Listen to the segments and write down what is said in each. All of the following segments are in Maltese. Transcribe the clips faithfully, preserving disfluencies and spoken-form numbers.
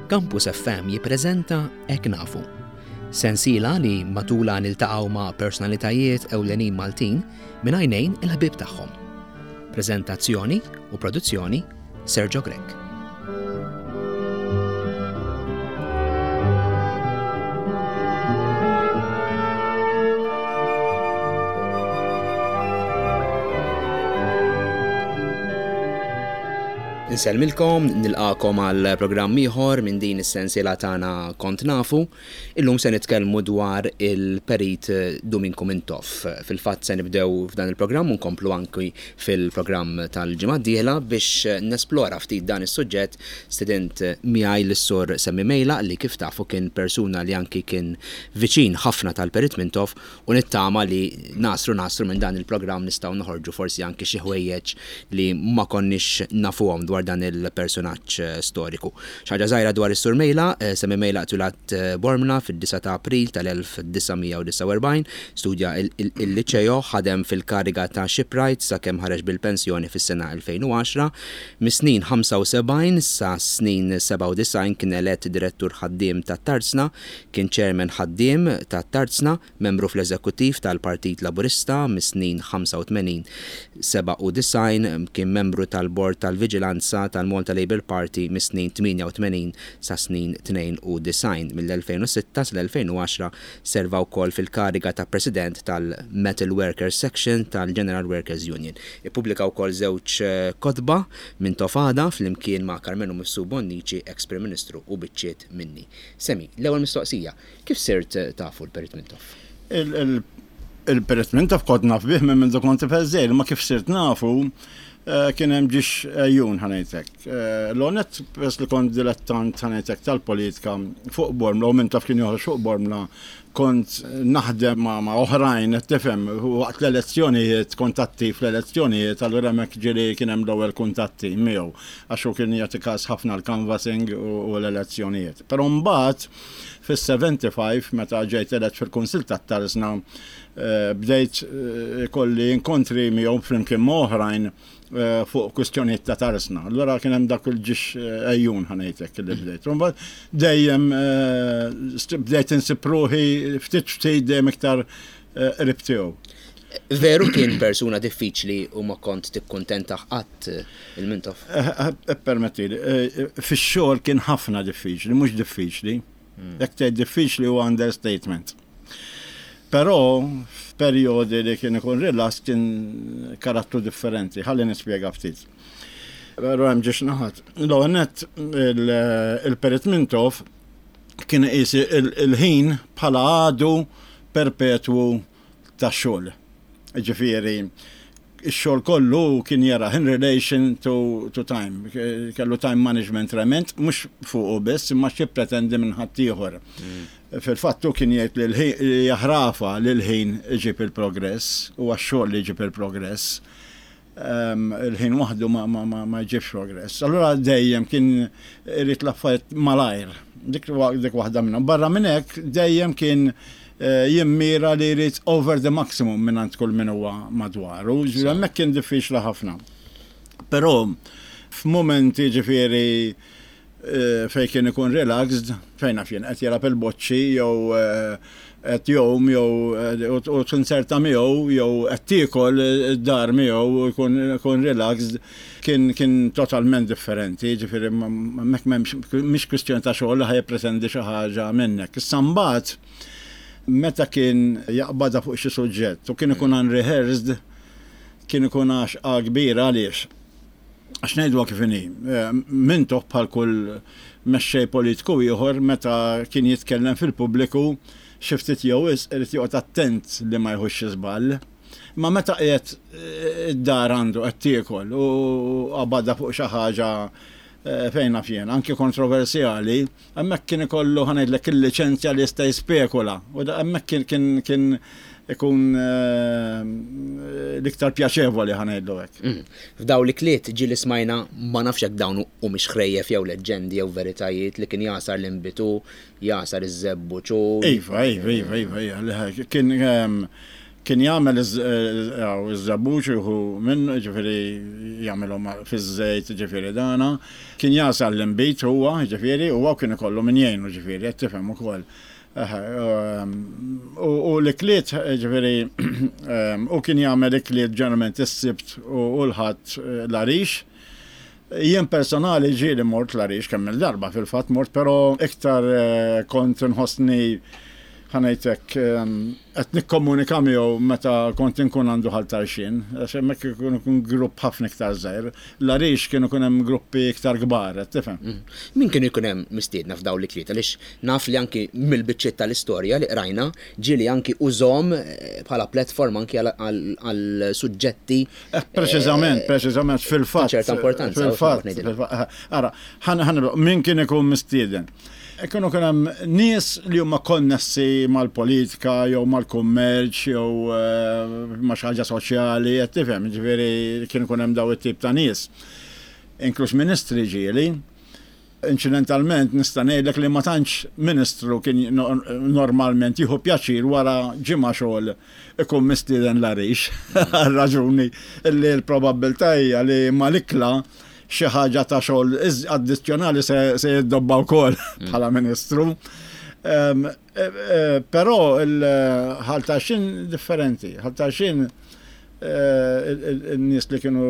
Campus F M jippreżenta Hekk Nafu. Sensiela li matula niltaqgħu ma' personalitajiet ewlenin Maltin minn għajnejn il-ħbib tagħhom. Preżentazzjoni u produzzjoni, Sergio Grech. Insellmilkom, nilqagħkom għal programm ieħor minn din is-sensiela tagħna Kont Nafu. Illum se nitkellmu dwar il-Perit Duminku Mintoff. Fil-fatt se nibdew f'dan il-programm u nkomplu anki fil-programm tal-ġimgħa d-dieħla. Biex nesplora ftit dan is-suġġett, stedint miegħi lis-Sur Sammy Meilaq, li kif tafu kien persuna li anki kien viċin ħafna tal-Perit Mintoff, u nittama li nasru nasru minn dan il-programm nistgħu noħorġu forsi anki xi ħwejjeġ li ma konniex nafuhom dwar dan il-personaġġ eh, storiku. Xi ħaġa żgħira dwar is-Sur Meilaq, eh, Sammy Meilaq twieled eh, Bormla fid-disgħa ta' April tal-elf disa' mija u disgħa u erbgħin, studja il-liċeo, ħadem fil-kariga ta' shipwright sakemm ħareġ bil-pensjoni fis-sena elfejn u għaxra. Mis-snin ħamsa u sebgħin sa snin sebgħa u disgħin kien elett direttur ħaddiem ta' Tarzna, kien chairman ħaddiem ta' Tarzna, membru fl-eżekuttiv tal-Partit Laburista mis-snin ħamsa u tmenin sebgħa u disgħin, kien membru tal-Bord tal-Viġilanza tal-Malta Labour Party mis-snin tmienja u tmenin sa snin tnejn u disgħin. Mill-elfejn u sitta sal-elfejn u għaxra serva wkoll fil-kariga ta' President tal-Metal Workers Section tal-General Workers Union. Ippubblika wkoll żewġ eh, kotba, Mintoff Għada flimkien ma' Karmenu Mifsud Bonnici, ex-Prim Ministru, u Biċċiet Minni. Sammy, l-ewwel mistoqsija, kif sirt tafu l-Perit Mintoff? Il-Perit Mintoff kont naf bih minn minn kont tifel, ma kif sirt nafu eh, kien hemm ġiex ejjun, ħa ngħidlek. Eh, L-għonet pers li kont dilettant, ħa ngħidlek, tal-politika fuq Bormla u Mintoff kien joħroġ fuq Bormla, kont naħdem ma' ma' oħrajn, tifhem, waqt l-elezzjonijiet, kuntatti fl-elezzjonijiet, allura hemmhekk ġieli kien hemm l-ewwel kuntatti miegħu, għax hu kien jagħti każ ħafna l-canvassing u u l-elezzjonijiet. Però mbagħad fis-sebgħa u sebgħin, meta ġejt elett fil-Kunsill tat-Tarzna, eh, bdejt eh, kolli inkontri miegħu flimkien ma' oħrajn eh, fuq kwistjonijiet ta' Tarzna. Allura kien hemm dak il-ġiex ejjun, ħa ngħidlek, li bdejt. Mbagħad dejjem eh, bdejt insib ruħi ftit ftit dejjem iktar eh, qrib tiegħu. Veru kien persuna diffiċli u ma kont tikkuntenta qatt il-Mintoff? Permetti, fix-xogħol kien ħafna diffiċli, mhux diffiċli. Jekk tgħid diffiċli huwa understatement. Però f'perjodi li kien ikun relax kien karattru differenti, ħalli nispjega ftit. Però hemm ġiex naħat. L-għonet il-Perit Mintoff kien iqis il-ħin bħala għadu perpetwu ta' xogħol. Ġifieri, ix-xogħol kollu kien jara in relation to, to time. Kellu time management trement, mhux fuqu biss, imma xi pretendi minn ħaddieħor. Fil-fattu kien jgħid li l-ħin jaħrafa li l-ħin iġib il-progress, u għax-xogħol li jġib il-progress. Um, il-ħin waħdu ma, ma, ma, ma jġibx progress. Allura dejjem kien irid l-affarijiet malajr. Dik, dik waħda minnhom. Barra minn hekk dejjem kien eh, jimmira li jrid over the maximum minn għand kull min huwa madwaru. Ġifieri hemmhekk kien diffiċli ħafna. Però f'momenti, ġifieri, eh, fej kien ikun relaxed, fejn naf jien qed jilgħab il-boċċi jew eh, qed jgħum jew eh, u u tinserta miegħu jew qed tiekol id-dar miegħu u jkun ikun relaxed, kien kien totalment differenti, ġifieri hemmhekk m'hemmx, mhix kwistjoni ta' xogħol li ħa jippretendi xi ħaġa minnek. Issa mbagħad meta kien jaqbadha fuq xi suġġett u kien ikun unrehearsed, kien ikun għaxqa kbira. Għaliex? Għax ngħidu kif inhi, eh, Mintoff bħal kull mexxej politiku ieħor, meta kien jitkellem fil-pubbliku, xi ftit jew wisq irid joqgħod attent li ma jħux xi żball. Ma meta qiegħed eh, id-dar għandu qed tiekol u qabadha fuq xi ħaġa, eh, fejn naf jien, anki kontroversjali, hemmhekk kien ikollu, ħa ngħidlek, il-liċenzja li jista' jispekula. U da hemmhekk kien kien kien ikun eh, l-iktar pjaċevoli, ħa ngħidlu hekk. Mm. F'daw l-ikliet ġieli smajna, ma nafx jekk dawn u mhix ħrejjef jew leġġendi jew veritajiet, li kien jagħsar l-inbid, jagħsar iż-żebbuġ. Iva, iva, iva, iva, iva, li kien ehm, kien jagħmel iż-żebbuġ jieħu minn, ġifieri jagħmilhom fiż-żejt, ġifieri dana. Kien jagħsar l-inbid huwa, ġifieri, huwa kien ikollu min jgħinu, ġifieri, qed tifhem ukoll. U l-ikliet, ġifieri, u kien jagħmel ikliet ġeneralment is-Sibt u l-Ħadd l-Għarix. Jien personali ġieli mort l-Għarix kemm il-darba fil-fatt mort, però iktar kont nħossni, ħa ngħidlek, qed nikkomunika miegħu meta kont inkun għandu Ħal Tarxien, għax hemmhekk ikun ikun grupp ħafna iktar żgħir. L-Għarix kienu ikun hemm gruppi iktar kbar, qed tifhem. Min kienu jkun hemm mistiedna f'dawn l-ikliet? Għaliex naf li anki mill-biċċiet tal-istorja li qrajna ġieli anki użahom bħala platform anki għal suġġetti. Preċiżament, preċiżament, fil-fatt. ċerta importanza. Fil-fatt, ara, ħa min kien ikun mistieden? Kienu kien hemm nies li huma konnessi mal-politika jew mal-kummerċ jew ma' xi ħaġa soċjali, qed tifhem, ġifieri kien ikun hemm daw it-tip ta' nies. Inkluż ministri ġieli. Inċidentalment nista' ngħidlek li ma tantx ministru kien normalment jieħu pjaċir wara ġimgħa xogħol ikun mistieden l-Għarix. Għal raġuni li l-probabbiltà hija li mal-ikla xi ħaġa ta' xogħol addizzjonali se jiddobba wkoll bħala ministru. Però il-Ħal Tarxien differenti. Ħal Tarxien il-nies li kienu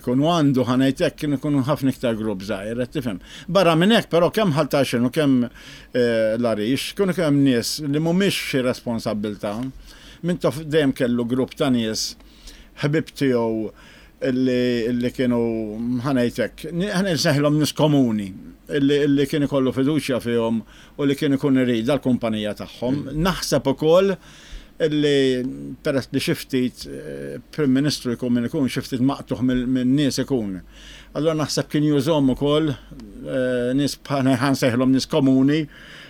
jkunu għandu, ħa ngħidlek, kienu jkunu ħafna iktar grupp żgħir, qed tifhem. Barra minn hekk però kemm Ħal Tarxien u kemm l-Għarix kienu kemm nies li mhumiex xi responsabbiltà. Mintoff dejjem kellu grupp ta' nies ħbib tiegħu illi kienu, ħa ngħidlek, ħa nsejħilhom nies komuni, illi kien ikollu fiduċja fihom u li kien ikun irid dal-kumpanija tagħhom. Naħseb ukoll illi peress li xi ftit Prim Ministru jkun min ikun xi ftit maqtugħ minn nies ikun. Allora naħseb kien jużahom ukoll nies, ħa nsejħilhom nies komuni,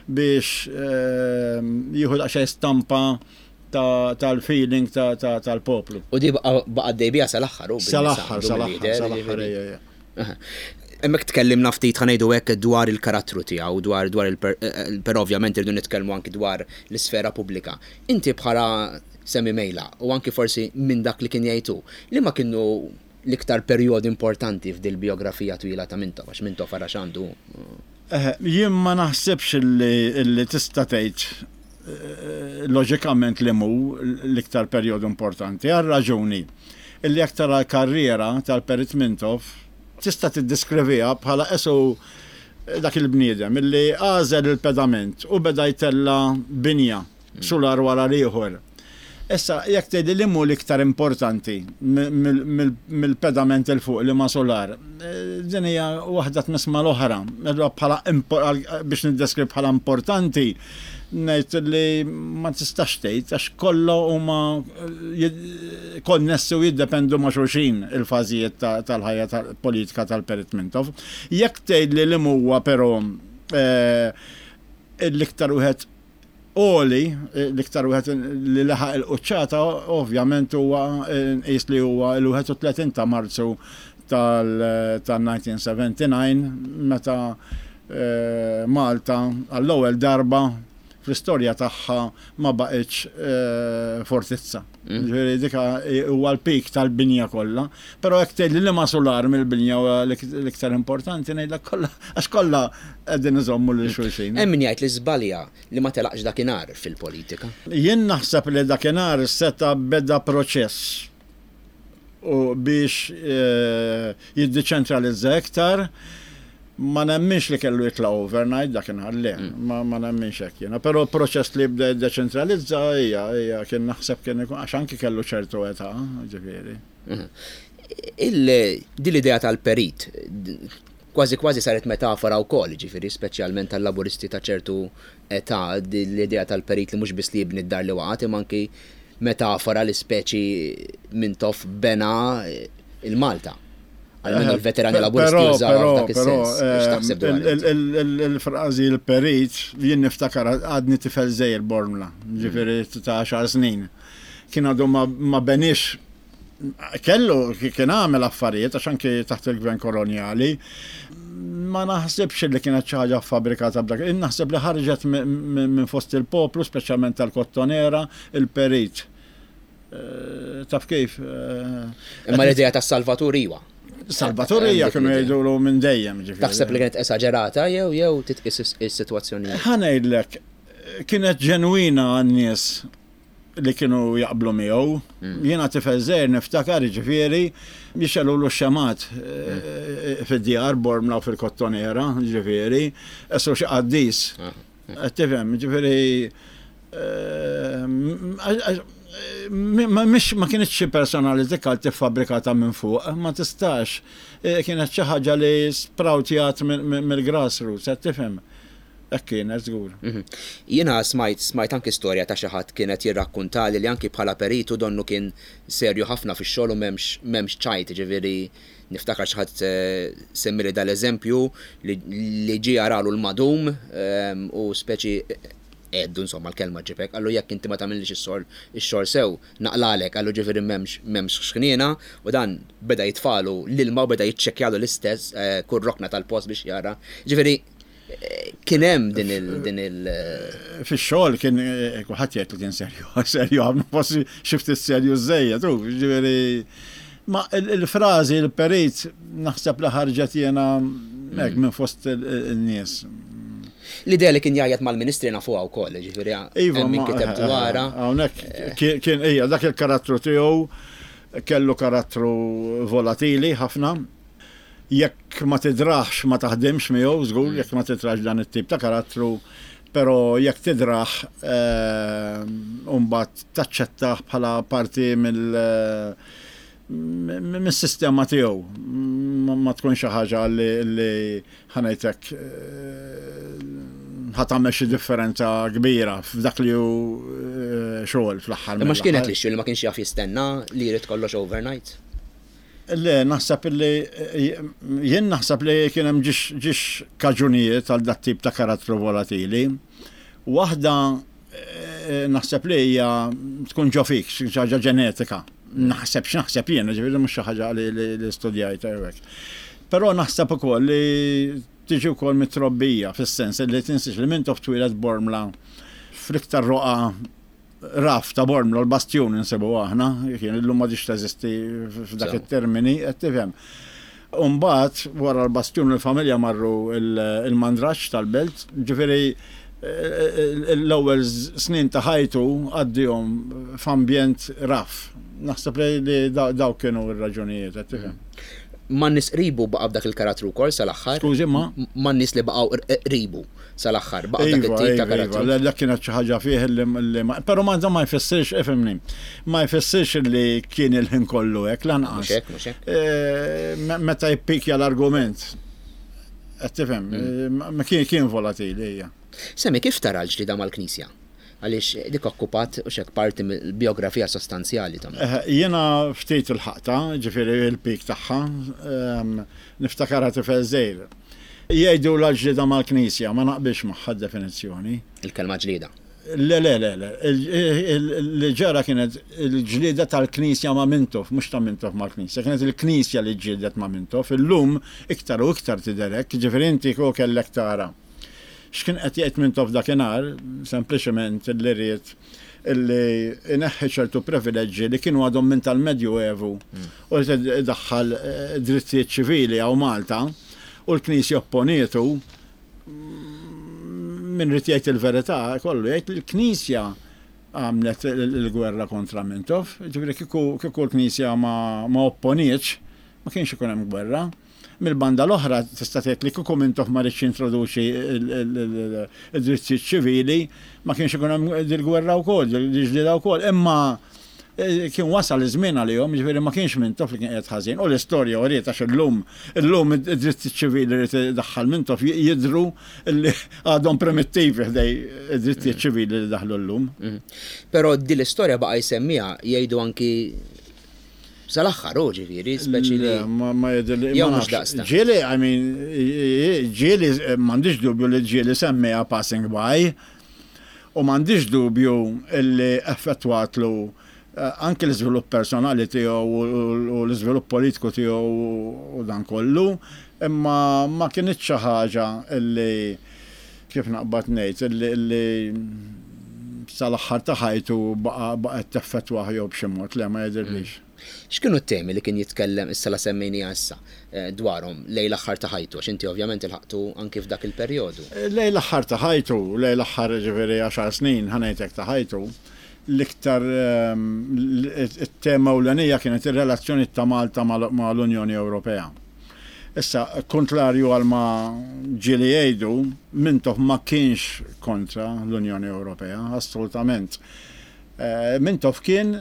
biex jieħu daqsxejn stampa tal-feeling tal-poplu. U di baqa' dejbija sal-aħħar. Sal-aħħar, sal-aħħar, sal-aħħar. Hemmhekk tkellimna ftit, ħa ngħidu hekk, dwar il-karattru tiegħu, dwar dwar il però ovvjament irridu nitkellmu anki dwar l-isfera pubblika. Inti bħala Sammy Mejlaq u anki forsi minn dak li kien jgħidu, li ma kienu l-iktar perjodi importanti f'dil biografija twila ta' Mintoff, għax Mintoff ara x'għandu. Jien ma naħsibx illi tista' tgħid loġikament li mu l-iktar perjodu importanti, għal raġuni illi aktar karriera tal-Perit Mintoff tista' tiddeskriviha bħala esu dak il-bniedem illi għażel il-pedament u beda jtella binja sular wara l-ieħor. Issa, jekk tgħidli li mu l-iktar importanti mill-pedament 'il fuq li ma solar, din hija waħda tmiss mal-oħra. Allura bħala biex niddeskriv bħala importanti, ngħid li ma tistax tgħid għax kollha huma konnessi u jiddependu ma' xulxin il-fażijiet tal-ħajja politika tal-Perit Mintoff. Jekk tgħid li li huwa però l-iktar wieħed għoli, l-iktar wieħed li laħaq il-quċċata, ovvjament huwa nqis li huwa l-wieħed u tletin ta' Marzu tal-elf disa' mija u sebgħa u sebgħin meta Malta għall-ewwel darba fl-istorja tagħha ma baqgħetx fortizza. Ġifieri dika huwa l-pik tal-binja kollha, però jekk tgħidli li ma solar mill-binja huwa l-iktar importanti, ngħidlek kollha, għax kollha qegħdin iżommu lil xulxin. Hemm min jgħid li żbalja li ma telaqx dakinhar fil-politika. Jien naħseb li dakinhar seta' beda proċess u biex jiddeċentralizza iktar. Ma nemminx li kellu jitla overnight dakinhar, le, ma, ma nemminx hekk jiena. Però proċess li bda jiddeċentralizza hija hija kien naħseb kien ikun, għax anki kellu ċertu età, ġifieri. Din l-idea tal-perit kważi kważi saret metafora wkoll, ġifieri speċjalment tal-laburisti ta' ċertu età, l-idea tal-perit li mhux biss li jibni d-dar li waqgħet, imma anki metafora li speċi Mintoff bena il-Malta. Għalmenu l-veterani laburisti użaw dak is-sens. X'taħseb dwar Il-frażi il-perit, jien niftakar għadni tifel żgħir Bormla, ġifieri ta' għaxar snin. Kien għadu ma benix, kellu kien għamel affarijiet għax anki taħt il-gvern koloniali. Ma naħsibx li kienet xi ħaġa fabbrikata b'dak. Naħseb li ħarġet minn fost il-poplu, speċjalment tal-Kottonera, il-perit. Eh, taf kif. Eh, Imma l-idea ta' Salvatur iwa. Salvatur hija kienu jgħidulu minn dejjem, ġifieri. Taħseb li kienet esaġerata jew jew titqis is-sitwazzjoni? Ħa ngħidlek, kienet ġenwina għan-nies li kienu jaqblu miegħu. Mm. Jiena tifel żgħir niftakar, ġifieri, jixegħlulu xemgħat eh, fid-djar Bormla u fil-Kottonera, ġifieri, qisu xi qaddis. Ah. Tifhem, ġifieri, eh, ma ma kienx xi personality cult fabbrikata minn fuq, ma tistax. Eh, kienet xi ħaġa li sproutjat mill-grassroots, qed tifhem. Hekk kienet żgur. Mhm. Jiena smajt smajt anki storja ta' xi ħadd kienet jirrakkuntali li anki bħala peritu donnu kien serju ħafna fix-xogħol u m'hemmx m'hemmx ċajt, ġifieri niftakar xi ħadd eh, semmili dal-eżempju li ġie jaralu l-madum ehm, u speċi għeddu, insomma, l-kelma ġibek, qallu jekk inti ma tagħmilx ix-xogħol sew, naqlalek, qallu, ġifieri m'hemmx m'hemmx ħniena, u dan beda jitfalu l-ilma u beda jiċċekkjalu l-istess eh, kull rokna tal-post biex jara. Ġifieri eh, kien hemm din il din il Fix-xogħol kien eh, kulħadd jgħid li kien serju, serju ħafna, forsi xi ftit serju żejjed, u ġifieri ma il-frażi il-perit naħseb li ħarġet jiena hekk minn fost il-nies. L-idea li kien jgħajjat mal-ministri nafuha wkoll, ġifieri Iva, hemm min kiteb dwarha. Hawnhekk kien hija dak il-karattru tiegħu, kellu karattru volatili ħafna. Jekk ma tidraħx ma taħdimx miegħu żgur, jekk ma tidraħx dan it-tip ta' karattru, però jekk tidraħ mbagħad taċċettah bħala parti mill mis-sistema tiegħu. Ma tkun xi ħaġa li, ħa ngħidlek, ħa tagħmel xi differenza kbira f'dak li hu xogħol fl-aħħar. Imma x'kienet li li ma kienx jaf jistenna, li jrid kollox overnight? Le, naħseb li jien naħseb li kien hemm ġiex kaġunijiet għal dat tip ta' karattru volatili. Waħda naħseb li hija tkun ġo fik, xi ħaġa ġenetika. Naħseb x'naħseb jien, ġifieri mhux xi ħaġa li studjajt hekk. Però naħseb ukoll li tiġi wkoll mit-trobbija, fis-sens li tinsiex li Mintoff twieled Bormla fl-iktar roqa raf ta' Bormla, l-Bastjun insibu aħna, kien illum m'għadhiex teżisti f'dak it-termini, qed tifhem. Umbagħad wara l-Bastjun il-familja marru il-Mandraġġ tal-Belt, ġifieri l-ewwel snin ta' ħajtu għaddihom f'ambjent raf. Naħseb li daw kienu r-raġunijiet, qed tifhem. Ma' nies qribu baqa' b'dak il-karattru wkoll sal-aħħar? Skużi, ma? Ma' nies li baqgħu qribu sal-aħħar, baqa' dak Iva, it-tip ta' iva, iva, karattru? Le, dak kienet xi ħaġa fih li li ma, però ma ma jfissirx, ifhimni, ma jfissirx li kien il-ħin kollu hekk lanqas. Mhux hekk, mhux hekk. Eh, me- Meta jippikja l-argument, qed tifhem, eh, ma kien kien volatili hija. Semmi kif tara l-ġlida mal-Knisja? Għaliex dik okkupat u xek parti mill-biografija sostanzjali ta' Eh, Jiena ftit il-ħaqta, ġifieri il-pik tagħha, ehm, niftakarha tifel żgħir. Jgħidu l-ġlida mal-Knisja, ma naqbilx magħha definizzjoni. Il-kelma ġlida. Le, le, le, le. Il- il- Li ġara kienet il-ġlida tal-Knisja ma' Mintoff, mhux ta' Mintoff mal-Knisja, kienet il-Knisja li ġildet ma' Mintoff. Illum iktar u iktar tiderek, ġifieri inti kieku kellek tara x'kien qed jgħid Mintoff dakinhar, sempliċement li ried illi ineħħi ċertu privileġġi li kienu għadhom minn tal-Medju Evu u li daħħal eh, drittijiet ċivili hawn Malta u l-Knisja opponietu. Min irid jgħid il-verità kollu jgħid li l-Knisja għamlet il-gwerra kontra Mintoff, ġifieri kieku kieku l-Knisja ma, ma opponietx, ma kienx ikun hemm gwerra. Mill-banda l-oħra tista' tgħid li kieku Mintoff ma riedx jintroduċi il-drittijiet ċivili, ma kienx ikun hemm dil-gwerra wkoll, dil-ġlieda wkoll, imma eh, kien wasal iż-żmien għalihom, ġifieri ma kienx Mintoff li kien qiegħed ħażin. U l-istorja uriet, għax illum illum id-drittijiet ċivili li daħħal Mintoff jidru li għadhom primittivi ħdejn id-drittijiet ċivili li daħlu llum. Mhm. Però din l-istorja baqa' jsemmiha, jgħidu, anki sal-aħħar, u ġifieri, speċi li. Le, Ma ma jidhirli. Jew Ma mhux nafx. daqsta. Ġieli, I mean, ġieli, m'għandix dubju li ġieli semmiha passing by, u m'għandix dubju illi effettwatlu eh, anke l-iżvilupp personali tiegħu u u l-iżvilupp politiku tiegħu u dan kollu, imma ma kienx xi ħaġa illi, kif naqbad ngħid, illi illi sal-aħħar ta' ħajtu baqgħet teffettwah jew b'xi mod, le, ma jidhirlix. X'kienu t-temi li kien jitkellem, issa la semmejni issa, dwarhom lejn l-aħħar ta' ħajtu, għax inti ovvjament ilħaqtu anki f'dak il-perjodu? Lejn l-aħħar ta' ħajtu, lejn l-aħħar ġifieri għaxar snin ħa ngħidlek ta' ħajtu, l-iktar it-tema ewlenija kienet ir-relazzjoni ta' Malta mal-Unjoni Ewropea. Issa, kontrarju għal ma ġieli jgħidu, Mintoff ma kienx kontra l-Unjoni Ewropea, assolutament. Mintoff kien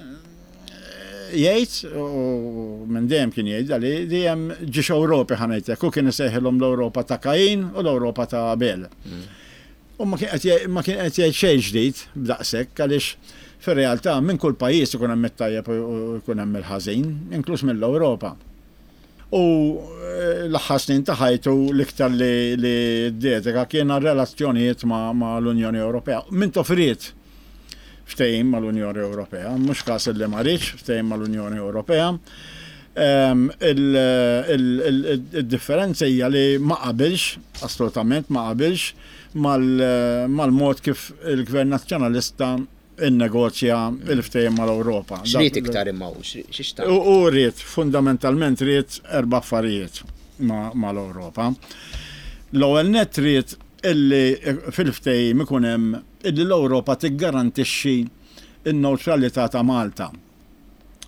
jgħid, u minn dejjem kien jgħid, li dejjem ġiex Ewropi ħa ngħidlek, u kien isejħilhom l-Ewropa ta' Kain u l-Ewropa ta' Abel. U ma kien qed jgħid xejn ġdid b'daqshekk, għaliex fir-realtà minn kull pajjiż ikun hemm it-tajjeb u jkun hemm il-ħażin, inkluż mill-Ewropa. U l-aħħar snin ta' ħajtu l-iktar li ddedika kien relazzjonijiet ma' l-Unjoni Ewropea. Mintoff ried ftehim mal-Unjoni Ewropea, mhux każ li ma riedx ftehim mal-Unjoni Ewropea. Il-differenza hija li ma qabilx, assolutament ma qabilx mal-mod kif il-Gvern Nazzjonalista innegozja il-ftehim mal-Ewropa. X'ried iktar imma hu? X'ixtaq? U ried, fundamentalment ried erba' affarijiet mal-Ewropa. L-ewwel nett ried illi fil-ftehim ikun hemm illi l-Ewropa tiggarantixxi n-newtralità ta' Malta.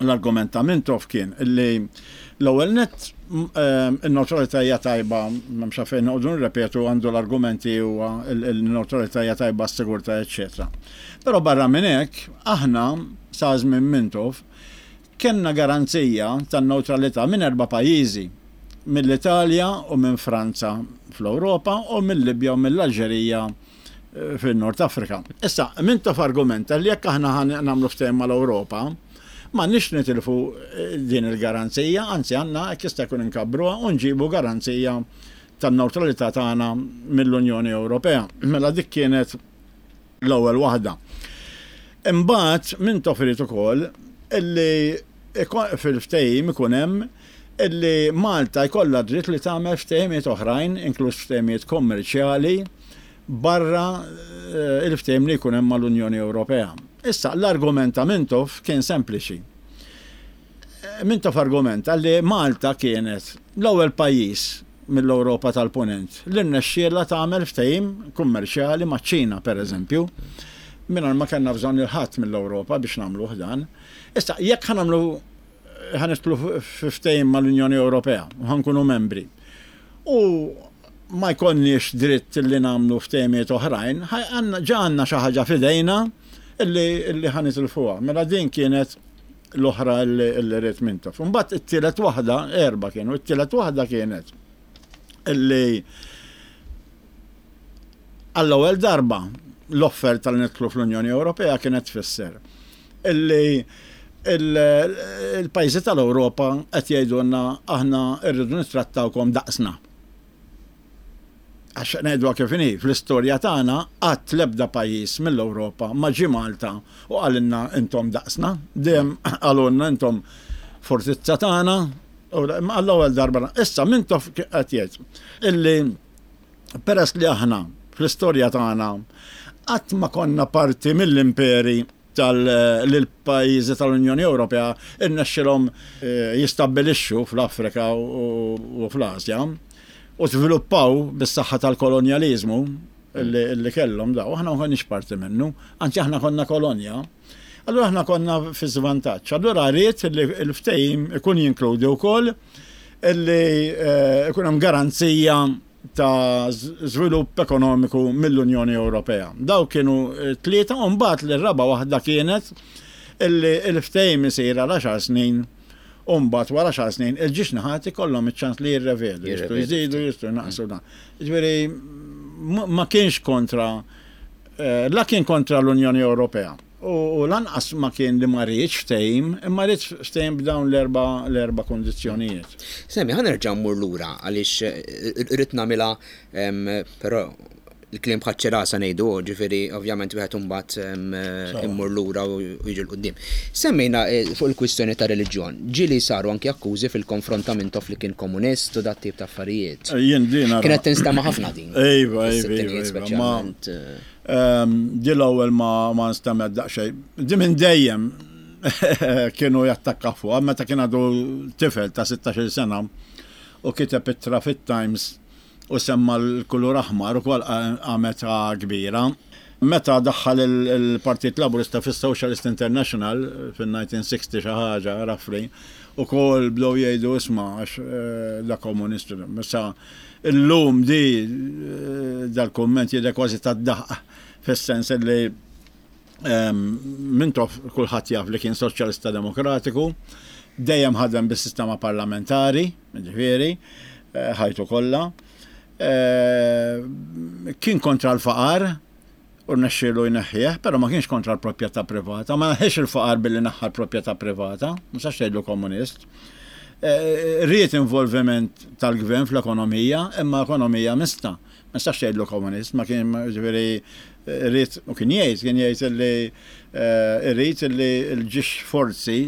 L-argument ta' Mintoff kien illi l-ewwel nett in-newtralità hija tajba, m'hemmx għalfejn noqogħdu nirrepetu, għandu l-argumenti huwa n-newtralità hija tajba għas-sigurtà, eċċetera. Però barra minn hekk, aħna sa żmien Mintoff kellna garanzija tan-newtralità minn erba' pajjiżi, mill-Italja u minn Franza fl-Ewropa u mill-Libja u mill-Alġerija fil-Nord Afrika. Issa, Mintoff argumenta li jekk aħna nagħmlu ftehim mal-Ewropa, ma nix nitilfu din il-garanzija, anzi għandna hekk jista' jkun inkabbruha u nġibu garanzija tan-newtralità tagħna mill-Unjoni Ewropea. Mela dik kienet l-ewwel waħda. Imbagħad Mintoff irid ukoll illi fil-ftehim ikun hemm illi Malta jkollha dritt li tagħmel ftehimiet oħrajn, inkluż ftehimiet kommerċjali, barra il-ftehim li jkun hemm mal-Unjoni Ewropea. Issa, l-argument ta' Mintoff kien sempliċi. Mintoff argumenta li Malta kienet l-ewwel pajjiż mill-Ewropa tal-Punent li rnexxielha tagħmel ftehim kummerċjali maċ-Ċina, pereżempju, mingħajr ma kellna bżonn il-ħadd mill-Ewropa biex nagħmluh dan. Issa, jekk ħa nagħmlu ħa nidħlu f'ftehim mal-Unjoni Ewropea u ħa nkunu membri, u ma jkollniex dritt li nagħmlu ftehimiet oħrajn, ġa għandna xi ħaġa f'idejna illi ħa nitilfuha. Mela din kienet l-oħra illi ried Mintoff. Imbagħad it-tielet waħda, erba' kienu, it-tielet waħda kienet illi għall-ewwel darba l-offerta li nidħlu fl-Unjoni Ewropea kienet tfisser illi il-pajjiżi tal-Ewropa qed jgħidulna aħna rridu nittrattawkom daqsna. Għax ngħidu kif inhi, fl-istorja tagħna qatt l-ebda pajjiż mill-Ewropa ma ġie Malta u qalilna intom daqsna, dejjem qalulna intom fortizza tagħna, u għall-ewwel darba. Issa Mintoff qed jgħid illi peress li aħna fl-istorja tagħna qatt ma konna parti mill-imperi tal-pajjiżi tal-Unjoni Ewropea irnexxilhom jistabbilixxu fl-Afrika u fl-Asja u żviluppaw bis-saħħa tal-kolonjaliżmu li kellhom daw, aħna ma konniex parti minnu, anzi aħna konna kolonja. Allura aħna konna fi żvantaġġ. Allura rrid li l-ftehim ikun jinkludi wkoll illi ikun hemm garanzija ta' żvilupp ekonomiku mill-Unjoni Ewropea. Daw kienu tlieta, u mbagħad l-raba' waħda kienet illi l-ftehim isir għal għaxar snin, u mbagħad wara għaxar snin il-ġiex naħat ikollhom iċ-ċans li jirrevedu, jistgħu jżidu, jistgħu jnaqsu dan. Ġifieri ma kienx kontra, la kien kontra l-Unjoni Ewropea. U lanqas ma kien li ma riedx ftehim, imma ried ftehim b'dawn l-erba' l-erba' kundizzjonijiet. Semmi, ħa nerġa' mmur lura għaliex irrid nagħmilha, però Il-kliem bħaċ-ċirasa ngħidu, ġifieri ovvjament wieħed imbagħad immur lura u jiġi 'l quddiem. Semmejna eh, fuq il-kwistjoni ta' reliġjon. Ġieli saru anki akkużi fil-konfront ta' Mintoff li kien komunist u dat tip ta' affarijiet. Jien din Kienet tinstema' ħafna din. Iva, iva, iva. Speċjalment. Eh, ehm, di l-ewwel ma ma nstemet daqsxejn. Di minn dejjem kienu jattakka fuq, meta kien għadu tifel ta' sittax-il sena u kiteb ittra fit-Times u semma l-kulur aħmar, ukoll għamet kbira. Meta daħħal il-Partit Laburista fis-Socialist International fil-elf disa' mija u sittax xi ħaġa roughly, ukoll bdew jgħidu, "Isma', għax eh, da komunist." Issa illum di eh, dal-kumment jidher kważi tad-daħq, fis-sens li Mintoff kulħadd jaf li kien soċjalista demokratiku, dejjem ħadem bis-sistema parlamentari, ġifieri, eh, ħajtu kollha. Eh, kien kontra l-faqar, u rnexxielu jneħħih, però ma kienx kontra l-proprjetà privata, ma neħħiex il-faqar billi neħħa l-proprjetà privata, ma tistax tgħidlu komunist. Eh, ried involviment tal-gvern fl-ekonomija, imma ekonomija mista. Ma tistax tgħidlu komunist, ma kien, ġifieri ried u kien jgħid, kien jgħid li eh, irrid li l-ġiex forzi,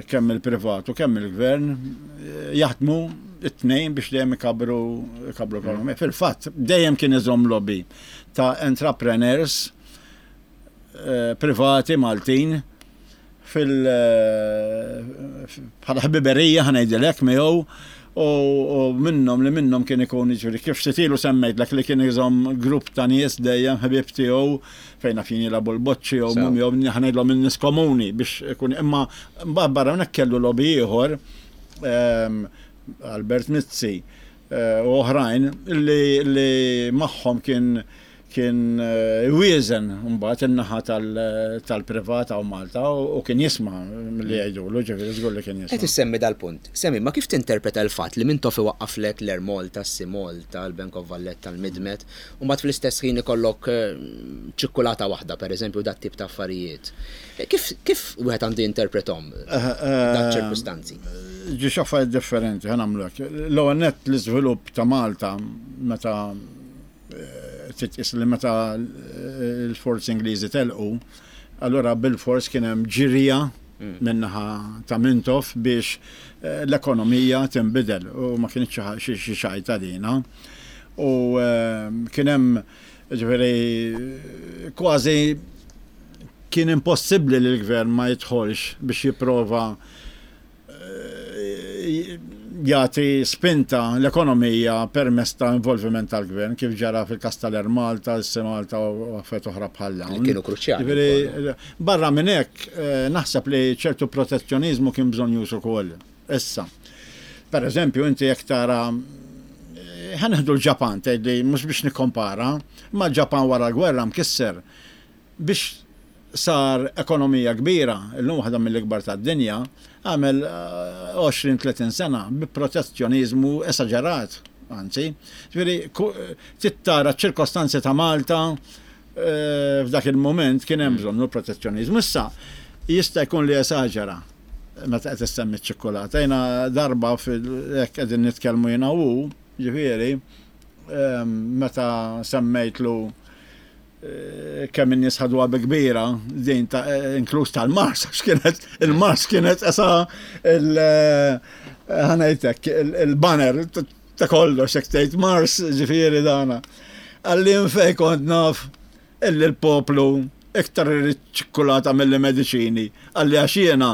kemm il-privat u kemm il-gvern, jaħdmu it-tnejn biex dejjem ikabru ikabru l-ekonomija. Fil-fatt, dejjem kien iżomm lobby ta' entrepreneurs eh, privati Maltin fil eh, bħala ħbiberija, ħa ngħidilek, miegħu u minnhom li minnhom kien ikun, ġifieri kif sitilu semmejtlek li kien iżomm grupp ta' nies dejjem ħbieb tiegħu fejn fin jilagħbu l-boċċi jew mum jew ħa ngħidlhom in-nies komuni biex ikun, imma barra hawnhekk kellu lobby ieħor, ehm, Albert Mizzi eh, u oħrajn li, li magħhom kien kien eh, wieżen mbagħad in-naħa tal-privat hawn Malta u kien jisma' milli jgħidulu, ġifieri żgur li kien jisma'. Qed issemmi dal-punt. Semmi, ma kif tinterpreta l-fatt li Mintoff iwaqqaflek l-Air Malta, s-Sea Malta, l-Bank of Valletta, l-Midmed, u mbagħad fl-istess ħin ikollok eh, ċikkulata waħda, pereżempju, dat tip ta' affarijiet? Eh, kif kif wieħed għandu jinterpretom dat ċirkustanzi? Ġi affarijiet differenti, ħa nagħmlu hekk. L-ewwel nett, l-iżvilupp ta' Malta, meta titqis li meta l-forzi Ingliżi telqu, allura bil-fors kien hemm ġirja mm. min-naħa ta' Mintoff biex eh, l-ekonomija tinbidel u ma kienx xi xajta dina. U eh, kien hemm, ġifieri, kważi kien impossibbli li l-gvern ma jidħolx biex jipprova eh, jagħti spinta l-ekonomija permezz ta' involviment tal-gvern, kif ġara fil-kas tal-Air Malta, s Malta u affarijiet oħra bħal dawn. Kienu kruċjali. Barra minn hekk, eh, naħseb li ċertu protezzjonizmu kien bżonn ukoll. Issa, per eżempju, inti jekk tara, eh, ħa nieħdu l-Ġapan, tgħidli mhux biex nikkompara, ma l-Ġapan wara l-gwerra mkisser biex sar ekonomija kbira, illum waħda mill-ikbar tad-dinja, għamel għoxrin tletin sena bi protezzjonizmu esaġerat, anzi. Ġifieri, trid tara ċirkostanzi ta' Malta eh, f'dak il-moment kien hemm bżonn protezzjonizmu. Issa jista' jkun li esaġera meta qed issemmi ċ-ċikkulata. Jiena darba fil hekk qegħdin nitkellmu jiena u, ġifieri, ehm, meta semmejtlu eh, kemm in-nies ħaduha bi kbira din ta' eh, inkluż tal-Mars, għax kienet il-Mars kienet esa il eh, ħa ngħidlek il-banner ta' kollox, jekk tgħid Mars, ġifieri dana. Qalli, "Fejn kont naf illi l-poplu iktar irid ċikkulata mill mediċini?" Qalli, "Għax jiena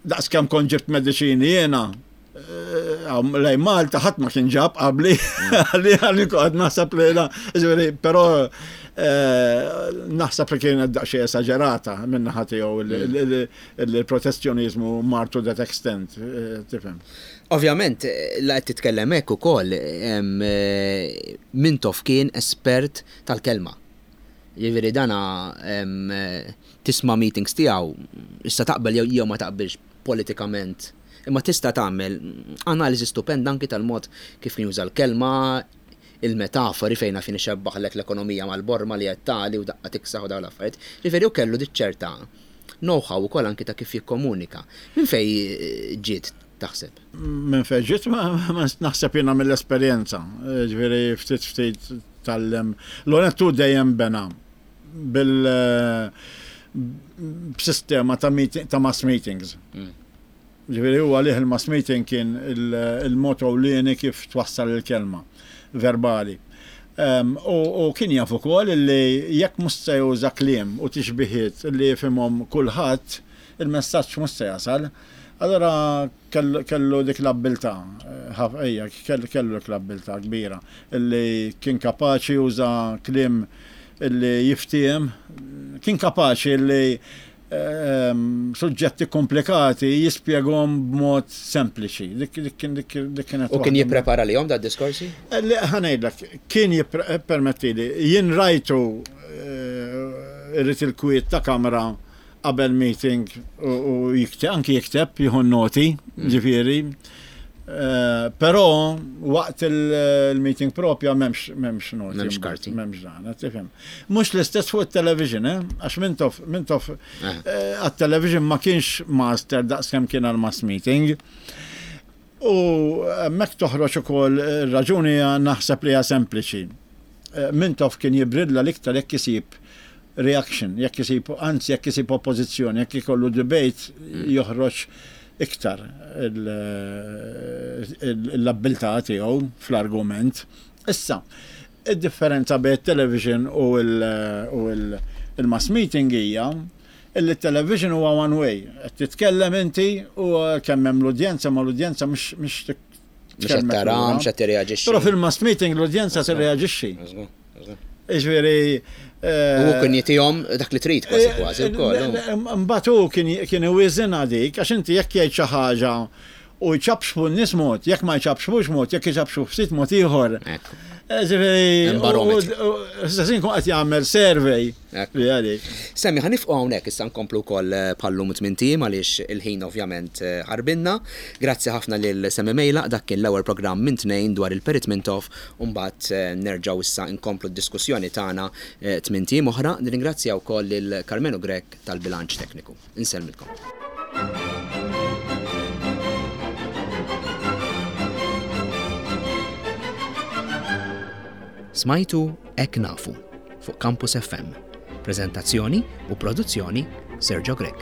daqs kemm kont ġibt mediċini jiena lejn Malta, ħadd ma kien ġab qabli." Qalli qalli kont naħseb li la, ġifieri, però eh, naħseb li kienet daqsxejn esaġerata minn naħa tiegħu il-protezzjonizmu mar to that extent, eh, tifhem. Ovvjament, la qed titkellem hekk ukoll, em, eh, Mintoff kien espert tal-kelma. Jiġifieri dana em, eh, tisma' meetings tiegħu, issa taqbel jew jew ma taqbilx politikament, imma tista' tagħmel analiżi stupenda anki tal-mod kif kien juża l-kelma, il-metafori fejna fin ixebbaħlek l-ekonomija mal-borma li qed tali u daqqa tiksaħ u dawn l-affarijiet. Ġifieri u kellu ċerta know-how ukoll anki ta' kif jikkomunika. Minn fej eh, ġiet, taħseb? Minn fejn ġiet, ma ma naħseb jiena mill-esperjenza. Ġifieri ftit ftit tgħallem. L-onet hu dejjem bena bil b'sistema ta' meeting, ta' mass meetings. Mm. Ġifieri huwa għalih il-mass meeting kien il-mod ewlieni kif twassal il-kelma verbali. Um, u, u kien jaf ukoll li jekk mhux se juża kliem u tixbihiet li jifhimhom kulħadd, il-messaġġ mhux se jasal. Allora kellu, kellu dik l-abbiltà, ejja, kellu, kellu dik l-abbiltà kbira, illi kien kapaċi juża kliem illi jiftiem, kien kapaċi illi ehm, suġġetti komplikati jispjegahom b'mod sempliċi. Dik dik kien dik dik kienet U kien waħda jipprepara lihom da diskorsi? Li ħa ngħidlek, kien jippermettili, jien rajtu eh, irrid il-kwiet ta' kamra qabel meeting u u jikteb, anki jikteb, jieħu noti, ġifieri. Eh, Però waqt il- il-meeting propja m'hemmx m'hemmx noti. M'hemmx karti. M'hemmx dan, tifhem. Mhux l-istess fuq il-television, eh? Għax Mintoff, Mintoff Eh. eh, għat-television ma kienx master daqs kemm kien għal-mass meeting. U hemmhekk toħroġ ukoll ir-raġuni hija naħseb li hija sempliċi. Eh, Mintoff kien jibridla l-iktar jekk isib reaction, jekk isib, anzi jekk isib oppożizzjoni, jekk ikollu debate joħroġ iktar l-abbiltà tiegħu fl-argument. Issa, id-differenza bejn television u il-mass meeting hija illi television huwa one way. Qed titkellem inti u kemm hemm l-udjenza ma l-udjenza mhux mhux Mhux qed tara, mhux qed tirreaġixxi. Però fil-mass meeting l-udjenza tirreaġixxi. Iġifieri U kien jitihom dak li trid kważi kważi wkoll. Mbagħad hu kien kien iwiżinha dik għax inti jekk jgħid xi ħaġa u jċapxpu n-nies mod, jekk ma jċapxpux mod, jekk jċapxpu ftit mod ieħor. Ekku. Ġifieri, Barometru. Issa kun qed jagħmel survey Ekku. li għalik. Semmi, ħa nieqfu hawnhekk issa nkomplu wkoll bħal-lum tmint ijiem għaliex il-ħin ovvjament eh, ħarbinna. Grazzi ħafna lil Sammy Meilaq, dak kien l-ewwel programm minn tnejn dwar il-Perit Mintoff u mbagħad eh, nerġgħu issa nkomplu d-diskussjoni tagħna eh, tmint ijiem oħra. Nirringrazzja wkoll lil Carmenu Grech tal-bilanċ tekniku. Insellmilkom. Smajtu Hekk Nafu fuq Campus F M. Prezentazzjoni u produzzjoni Sergio Grech.